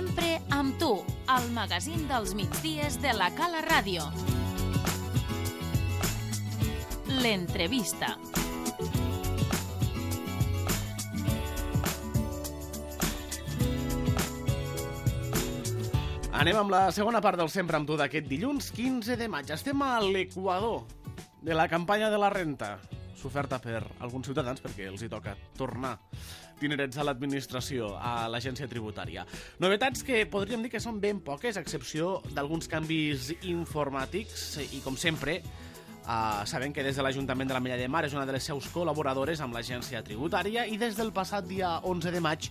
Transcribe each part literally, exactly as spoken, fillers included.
Sempre amb tu, el magazín dels migdies de la Cala Ràdio. L'entrevista. Anem amb la segona part del Sempre amb tu d'aquest dilluns quinze de maig. Estem a l'equador de la campanya de la renta, s'oferta per alguns ciutadans perquè els hi toca tornar dinerets a l'administració, a l'agència tributària. Novetats que podríem dir que són ben poques, a excepció d'alguns canvis informàtics i, com sempre, Uh, sabem que des de l'Ajuntament de l'Ametlla de Mar és una de les seus col·laboradores amb l'agència tributària i des del passat dia onze de maig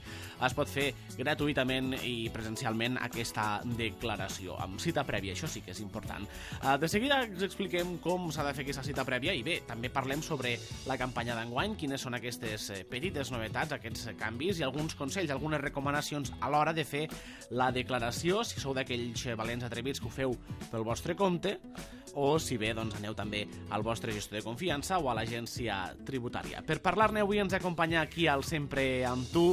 es pot fer gratuïtament i presencialment aquesta declaració, amb cita prèvia, això sí que és important. Uh, de seguida us expliquem com s'ha de fer aquesta cita prèvia i bé, també parlem sobre la campanya d'enguany, quines són aquestes petites novetats, aquests canvis i alguns consells, algunes recomanacions a l'hora de fer la declaració, si sou d'aquells valents atrevits que ho feu pel vostre compte, o si bé doncs, aneu també al vostre gestor de confiança o a l'agència tributària. Per parlar-ne avui ens acompanya aquí al Sempre amb tu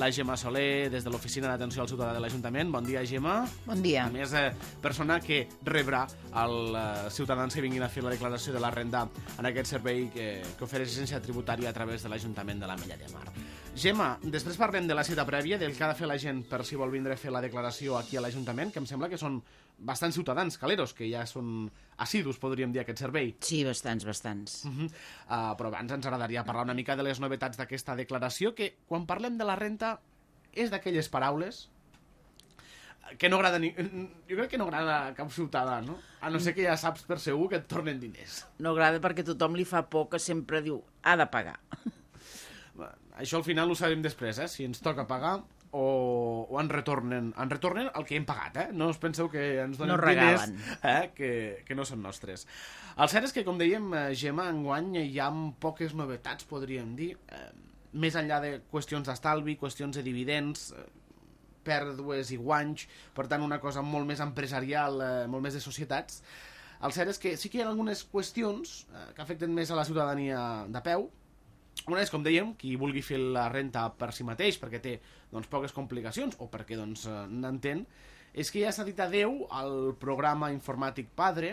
la Gemma Soler des de l'Oficina d'Atenció al Ciutadà de l'Ajuntament. Bon dia, Gemma. Bon dia. A més, eh, persona que rebrà els eh, ciutadans que vinguin a fer la declaració de la renda en aquest servei que, que ofereix l'agència tributària a través de l'Ajuntament de l'Ametlla de Mar. Gemma, després parlem de la cita prèvia, del que ha de fer la gent per si vol vindre a fer la declaració aquí a l'Ajuntament, que em sembla que són bastants ciutadans caleros, que ja són assidus, podríem dir, aquest servei. Sí, bastants, bastants. Uh -huh. uh, però abans ens agradaria parlar una mica de les novetats d'aquesta declaració, que quan parlem de la renta és d'aquelles paraules que no agrada ni... Jo crec que no agrada a cap ciutadà, no? A no ser que ja saps per segur que et tornen diners. No agrada perquè tothom li fa por, que sempre diu, ha de pagar. Això al final ho sabem després, eh? Si ens toca pagar o, o ens retornen ens retornen el que hem pagat, eh? No us penseu que ens donen no diners eh? que, que no són nostres. El cert és que, com dèiem, Gemma, enguany hi ha poques novetats, podríem dir, eh, més enllà de qüestions d'estalvi, qüestions de dividends, eh, pèrdues i guanys, per tant una cosa molt més empresarial, eh, molt més de societats. El cert és que sí que hi ha algunes qüestions eh, que afecten més a la ciutadania de peu. Una és, com dèiem, qui vulgui fer la renta per si mateix, perquè té doncs, poques complicacions, o perquè doncs, n'entén, és que ja s'ha dit adeu al programa informàtic Padre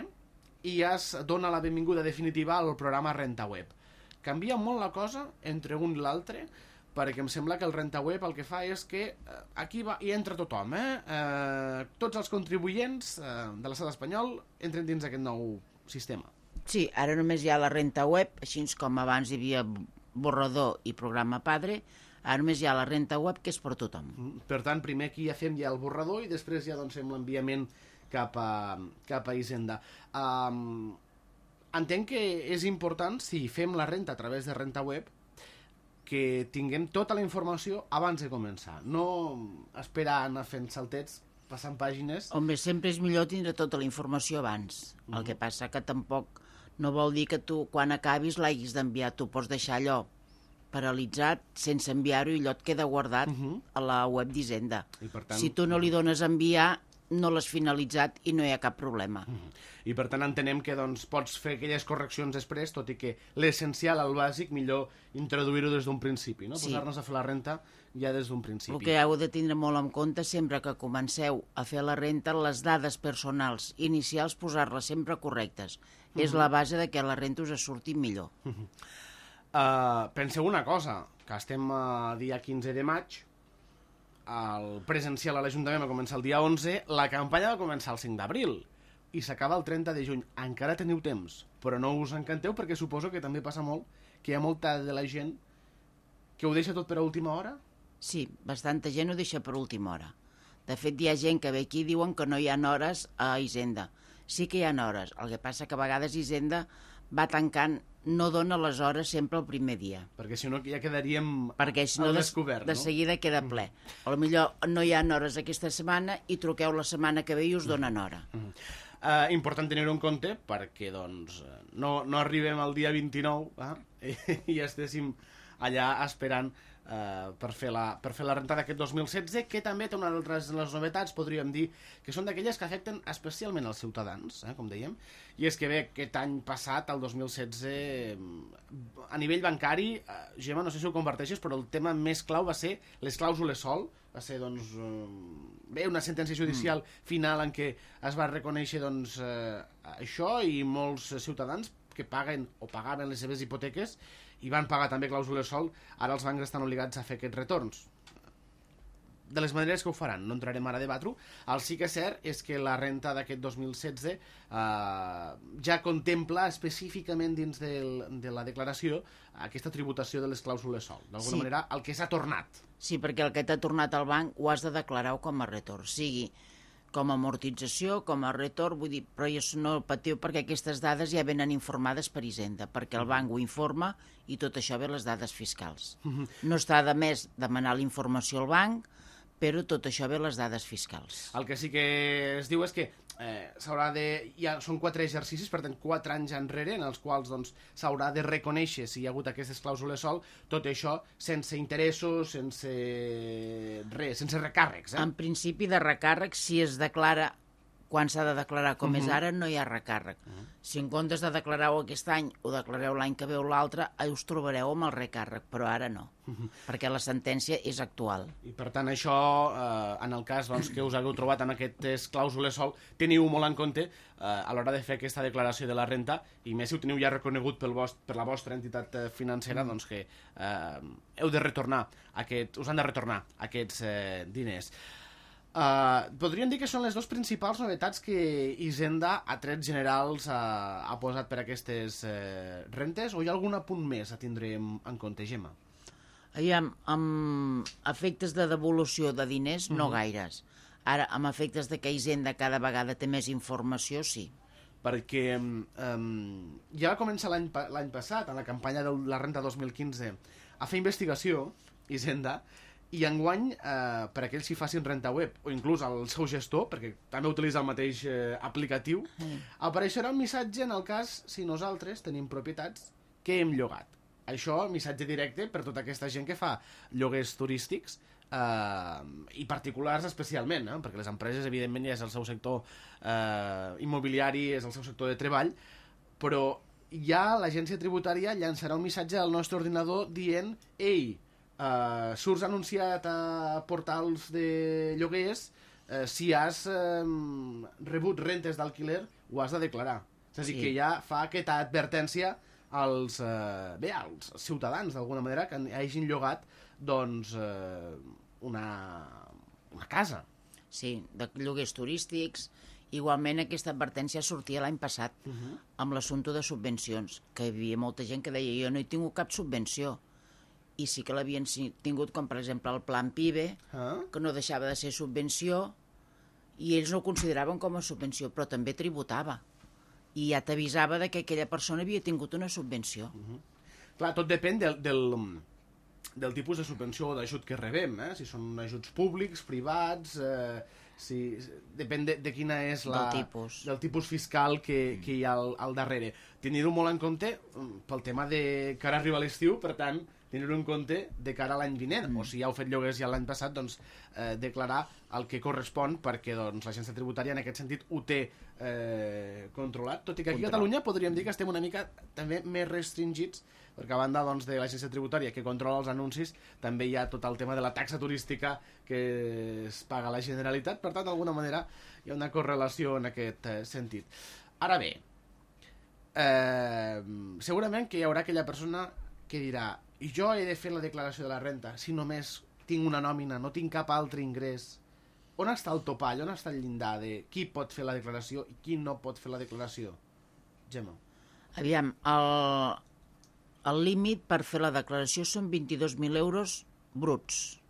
i ja es dona la benvinguda definitiva al programa Renta Web. Canvia molt la cosa entre un i l'altre, perquè em sembla que el Renta Web el que fa és que eh, aquí va, hi entra tothom, eh? Eh, tots els contribuents eh, de l'estat espanyol entren dins d'aquest nou sistema. Sí, ara només hi ha la renta web, així com abans hi havia borrador i programa Padre, ara només hi ha la renta web, que és per tothom. Per tant, primer aquí ja fem ja el borrador i després ja doncs, fem l'enviament cap a, cap a Hisenda. Um, entenc que és important, si fem la renta a través de renta web, que tinguem tota la informació abans de començar. No esperar anar fent saltets, passant pàgines... Home, sempre és millor tindre tota la informació abans. Mm-hmm. El que passa que tampoc no vol dir que tu, quan acabis, l'hagis d'enviar. Tu pots deixar allò paralitzat, sense enviar-ho, i allò et queda guardat uh-huh. a la web d'Hisenda. Tant... Si tu no li dones a enviar, no l'has finalitzat i no hi ha cap problema. Uh-huh. I per tant entenem que doncs, pots fer aquelles correccions després, tot i que l'essencial, el bàsic, millor introduir-ho des d'un principi, no? Sí. Posar-nos a fer la renta ja des d'un principi. El que heu de tindre molt en compte sempre que comenceu a fer la renta, les dades personals inicials, posar-les sempre correctes. Uh-huh. És la base de que la renta us surti millor. Uh-huh. Uh, penseu una cosa, que estem a dia quinze de maig, el presencial a l'Ajuntament va començar el dia onze, la campanya va començar el cinc d'abril i s'acaba el trenta de juny. Encara teniu temps, però no us encanteu perquè suposo que també passa molt que hi ha molta de la gent que ho deixa tot per a última hora? Sí, bastanta gent ho deixa per última hora. De fet, hi ha gent que ve aquí i diuen que no hi ha hores a Hisenda. Sí que hi ha hores, el que passa que a vegades Hisenda va tancant, no dona les hores sempre el primer dia. Perquè si no ja quedaríem Perquè si no, al descobert, de, no? De seguida queda ple. Mm. A lo millor no hi ha hores aquesta setmana i truqueu la setmana que ve i us donen hora. Mm. Uh, important tenir-ho en compte perquè doncs, no, no arribem al dia vint-i-nou eh? i estéssim allà esperant eh, per, fer la, per fer la renta d'aquest dos mil setze, que també té una altres de les novetats, podríem dir, que són d'aquelles que afecten especialment els ciutadans, eh, com dèiem, i és que bé, aquest any passat, el dos mil setze, a nivell bancari, eh, Gemma, no sé si ho comparteixes, però el tema més clau va ser les clàusules sol, va ser doncs, bé, una sentència judicial mm. final en què es va reconèixer doncs, eh, això, i molts ciutadans que paguen o pagaven les seves hipoteques i van pagar també clàusules sol, ara els bancs estan obligats a fer aquests retorns. De les maneres que ho faran, no entrarem ara a debatre-ho. El sí que és cert és que la renta d'aquest dos mil setze eh, ja contempla específicament dins del, de la declaració aquesta tributació de les clàusules sol. D'alguna sí. manera, el que s'ha tornat. Sí, perquè el que t'ha tornat al banc ho has de declarar com a retorn, sigui com a amortització, com a retorn, vull dir, però jo no patiu perquè aquestes dades ja venen informades per Hisenda, perquè el banc ho informa i tot això ve les dades fiscals. No està de més demanar la informació al banc, però tot això ve les dades fiscals. El que sí que es diu és que eh, s'haurà de... Ja són quatre exercicis, per tant, quatre anys enrere, en els quals doncs, s'haurà de reconèixer si hi ha hagut aquestes clàusules sol, tot això sense interessos, sense res, sense recàrrecs. Eh? En principi de recàrrec, si es declara quan s'ha de declarar com uh -huh. és ara, no hi ha recàrrec. Uh -huh. Si en comptes de declarar-ho aquest any o declareu l'any que ve o l'altre, us trobareu amb el recàrrec, però ara no, uh -huh. perquè la sentència és actual. I per tant això, eh, en el cas doncs, que us hagueu trobat amb aquestes clàusules sol, teniu molt en compte eh, a l'hora de fer aquesta declaració de la renta, i més si ho teniu ja reconegut pel vost, per la vostra entitat financera, uh -huh. doncs que eh, heu de retornar aquest, us han de retornar aquests eh, diners. Uh, podríem dir que són les dues principals novetats que Hisenda, a trets generals, uh, ha posat per aquestes uh, rentes, o hi ha algun apunt més a tindre en, en compte, Gemma? Aviam, amb efectes de devolució de diners, no uh -huh. gaires. Ara, amb efectes de que Hisenda cada vegada té més informació, sí. Perquè um, ja va començar l'any l'any passat, en la campanya de la renta dos mil quinze, a fer investigació, Hisenda, i enguany, eh, per aquells que facin renta web, o inclús el seu gestor, perquè també utilitza el mateix eh, aplicatiu, mm. apareixerà un missatge en el cas si nosaltres tenim propietats que hem llogat. Això, missatge directe per tota aquesta gent que fa lloguers turístics, eh, i particulars especialment, eh, perquè les empreses, evidentment, ja és el seu sector eh, immobiliari, és el seu sector de treball, però ja l'agència tributària llançarà un missatge al nostre ordinador dient «Ei, Uh, surts anunciat a portals de lloguers, uh, si has um, rebut rentes d'alquiler ho has de declarar». És a dir, sí. que ja fa aquesta advertència als, uh, bé, als ciutadans, d'alguna manera, que hagin llogat doncs, uh, una, una casa. Sí, de lloguers turístics. Igualment aquesta advertència sortia l'any passat uh -huh. amb l'assumpte de subvencions, que hi havia molta gent que deia «jo no he tingut cap subvenció». I sí que l'havien tingut, com per exemple el Plan PIBE, ah. que no deixava de ser subvenció, i ells no ho consideraven com a subvenció, però també tributava. I ja t'avisava de que aquella persona havia tingut una subvenció. Uh -huh. Clar, tot depèn del, del, del tipus de subvenció o d'ajut que rebem, eh? Si són ajuts públics, privats, eh, si, depèn de, de quina és la... Del tipus. Del tipus fiscal que, que hi ha al, al darrere. Tenir-ho molt en compte pel tema de que ara arriba l'estiu, per tant, tenir-ho en compte de cara a l'any vinent, mm. o si ja heu fet lloguers ja l'any passat, doncs eh, declarar el que correspon, perquè doncs, l'agència tributària en aquest sentit ho té eh, controlat, tot i que aquí a Catalunya podríem dir que estem una mica també més restringits, perquè a banda doncs, de l'agència tributària que controla els anuncis, també hi ha tot el tema de la taxa turística que es paga a la Generalitat, per tant, d'alguna manera hi ha una correlació en aquest eh, sentit. Ara bé, eh, segurament que hi haurà aquella persona que dirà i jo he de fer la declaració de la renta si només tinc una nòmina, no tinc cap altre ingrés. On està el topall, on està el llindar de qui pot fer la declaració i qui no pot fer la declaració? Gemma. Aviam, el, el límit per fer la declaració són vint-i-dos mil euros bruts.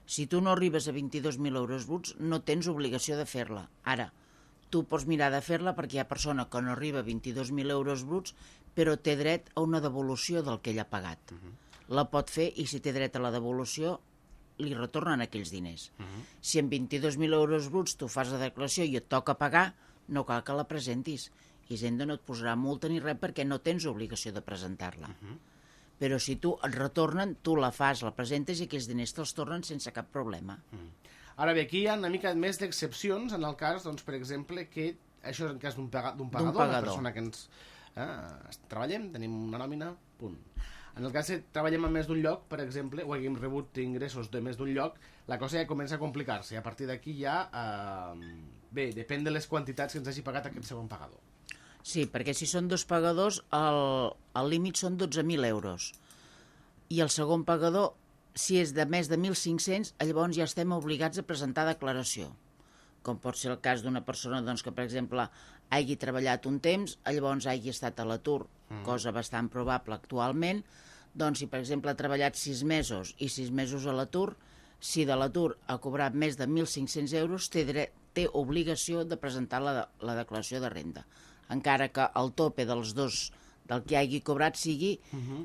Si tu no arribes a vint-i-dos mil euros bruts, no tens obligació de fer-la. Ara, tu pots mirar de fer-la perquè hi ha persona que no arriba a vint-i-dos mil euros bruts, però té dret a una devolució del que ell ha pagat. Uh -huh. La pot fer i si té dret a la devolució li retornen aquells diners. Uh -huh. Si en vint-i-dos mil euros bruts tu fas la declaració i et toca pagar, no cal que la presentis. Hisenda no et posarà multa ni res perquè no tens obligació de presentar-la. Uh -huh. Però si tu et retornen, tu la fas, la presentes i aquells diners te'ls tornen sense cap problema. Mm. Ara bé, aquí hi ha una mica més d'excepcions en el cas, doncs, per exemple, que això és en cas d'un pagador, pagador, una persona que ens... Eh, treballem, tenim una nòmina, punt. En el cas que treballem en més d'un lloc, per exemple, o haguem rebut ingressos de més d'un lloc, la cosa ja comença a complicar-se. A partir d'aquí ja... Eh, bé, depèn de les quantitats que ens hagi pagat aquest segon pagador. Sí, perquè si són dos pagadors, el, el límit són dotze mil euros. I el segon pagador, si és de més de mil cinc-cents, llavors ja estem obligats a presentar declaració. Com pot ser el cas d'una persona doncs, que, per exemple, hagi treballat un temps, llavors hagi estat a l'atur, mm. cosa bastant probable actualment, doncs si, per exemple, ha treballat sis mesos i sis mesos a l'atur, si de l'atur ha cobrat més de mil cinc-cents euros, té, dret, té obligació de presentar la, la declaració de renda, encara que el tope dels dos del que hagi cobrat sigui mm-hmm.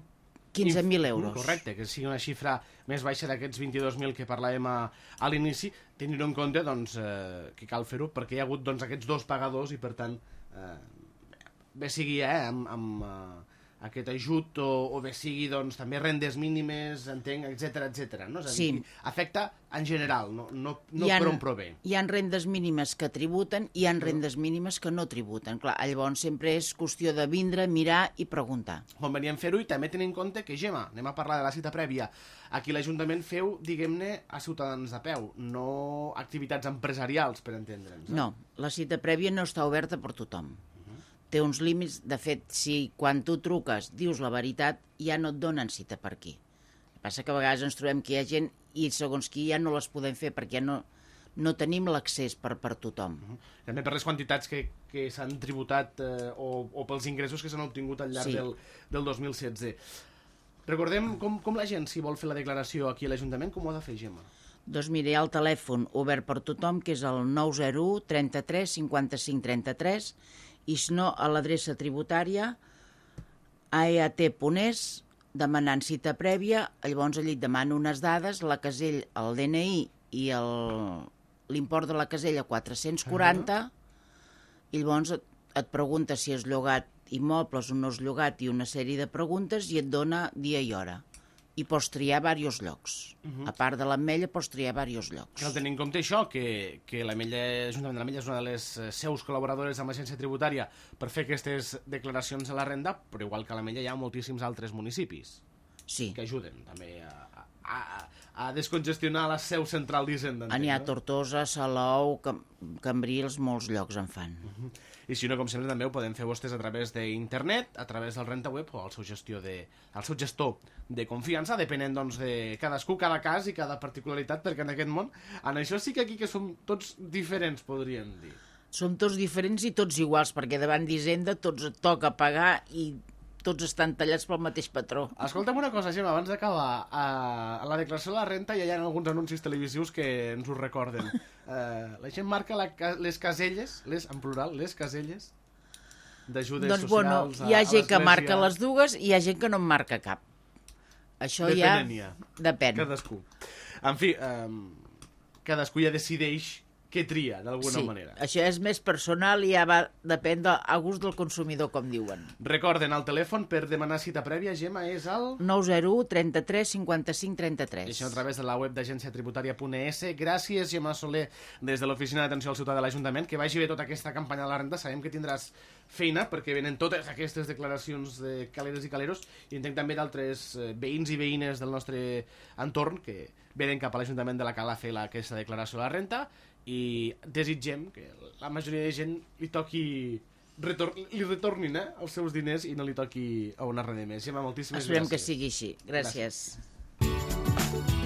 quinze mil euros. Correcte, que sigui una xifra més baixa d'aquests vint-i-dos mil que parlàvem a, a l'inici, tenint en compte doncs, eh, que cal fer-ho perquè hi ha hagut doncs, aquests dos pagadors i per tant eh, bé sigui eh, amb, amb eh, aquest ajut o, o bé sigui doncs, també rendes mínimes, entenc, etcètera, etcètera. No? És a dir, sí. Afecta en general, no, no, no ha, per on prové. Hi ha rendes mínimes que tributen i hi ha rendes mínimes que no tributen. Clar, llavors sempre és qüestió de vindre, mirar i preguntar. Convenient fer-ho i també tenir en compte que, Gemma, anem a parlar de la cita prèvia. Aquí l'Ajuntament feu, diguem-ne, a ciutadans de peu, no activitats empresarials, per entendre'ns. Eh? No, la cita prèvia no està oberta per tothom. Té uns límits, de fet, si quan tu truques dius la veritat, ja no et donen cita per aquí. El que passa que a vegades ens trobem que hi ha gent i segons qui ja no les podem fer perquè ja no, no tenim l'accés per, per tothom. Uh -huh. També per les quantitats que, que s'han tributat eh, o, o pels ingressos que s'han obtingut al llarg sí. del, del dos mil setze. Recordem com, com la gent, si vol fer la declaració aquí a l'Ajuntament, com ho ha de fer, Gemma? Doncs mira, hi ha el telèfon obert per tothom, que és el nou zero u trenta-tres cinquanta-cinc trenta-tres, i si no, a l'adreça tributària a e a te punt es, demanant cita prèvia, llavors allà et demano unes dades, la casella, el de ene i i l'import de la casella quatre-cents quaranta, uh-huh. i llavors et, et pregunta si és llogat immobles o no és llogat i una sèrie de preguntes i et dona dia i hora. I pots triar diversos llocs. Uh-huh. A part de l'Ametlla, pots triar diversos llocs. Cal tenir en compte això, que, que l'Ametlla, l'Ajuntament de l'Ametlla és una de les seus col·laboradores amb l'agència tributària per fer aquestes declaracions a la renda, però igual que a l'Ametlla hi ha moltíssims altres municipis sí. que ajuden també a, a, a descongestionar la seu central d'Hisenda. N'hi ha Tortosa, Salou, Cam Cambrils, molts llocs en fan. Uh-huh. I si no, com sempre, també ho podem fer vostès a través d'internet, a través del RentaWeb o al seu, gestió de, al seu gestor de confiança, depenent doncs, de cadascú, cada cas i cada particularitat, perquè en aquest món, en això sí que aquí que som tots diferents, podríem dir. Som tots diferents i tots iguals, perquè davant d'Hisenda tots et toca pagar i tots estan tallats pel mateix patró. Escolta'm una cosa, Gemma, abans d'acabar. A, a la declaració de la renta ja hi ha alguns anuncis televisius que ens ho recorden. Uh, la gent marca la, les caselles, les, en plural, les caselles d'ajudes doncs, socials bueno, hi ha a, gent a que marca les dues i hi ha gent que no en marca cap. Això Depenent ja... ja. Depèn. Cadascú. En fi, um, cadascú ja decideix què tria, d'alguna sí, manera. Això és més personal i ja va depèn de, a gust del consumidor, com diuen. Recorden, el telèfon per demanar cita prèvia, Gemma, és el... nou zero u trenta-tres cinquanta-cinc trenta-tres. Això a través de la web d'agència tributària punt es. Gràcies, Gemma Soler, des de l'Oficina d'Atenció al Ciutadà de l'Ajuntament. Que vagi bé tota aquesta campanya de la renta. Sabem que tindràs feina, perquè venen totes aquestes declaracions de caleres i caleros, i entenc també d'altres veïns i veïnes del nostre entorn que venen cap a l'Ajuntament de la Cala a fer la, aquesta declaració de la renta, i desitgem que la majoria de gent li toqui retor li retornin eh, els seus diners i no li toqui a una res de més. Gemma, moltíssimes Esperem gràcies. que sigui així. Gràcies. Gràcies.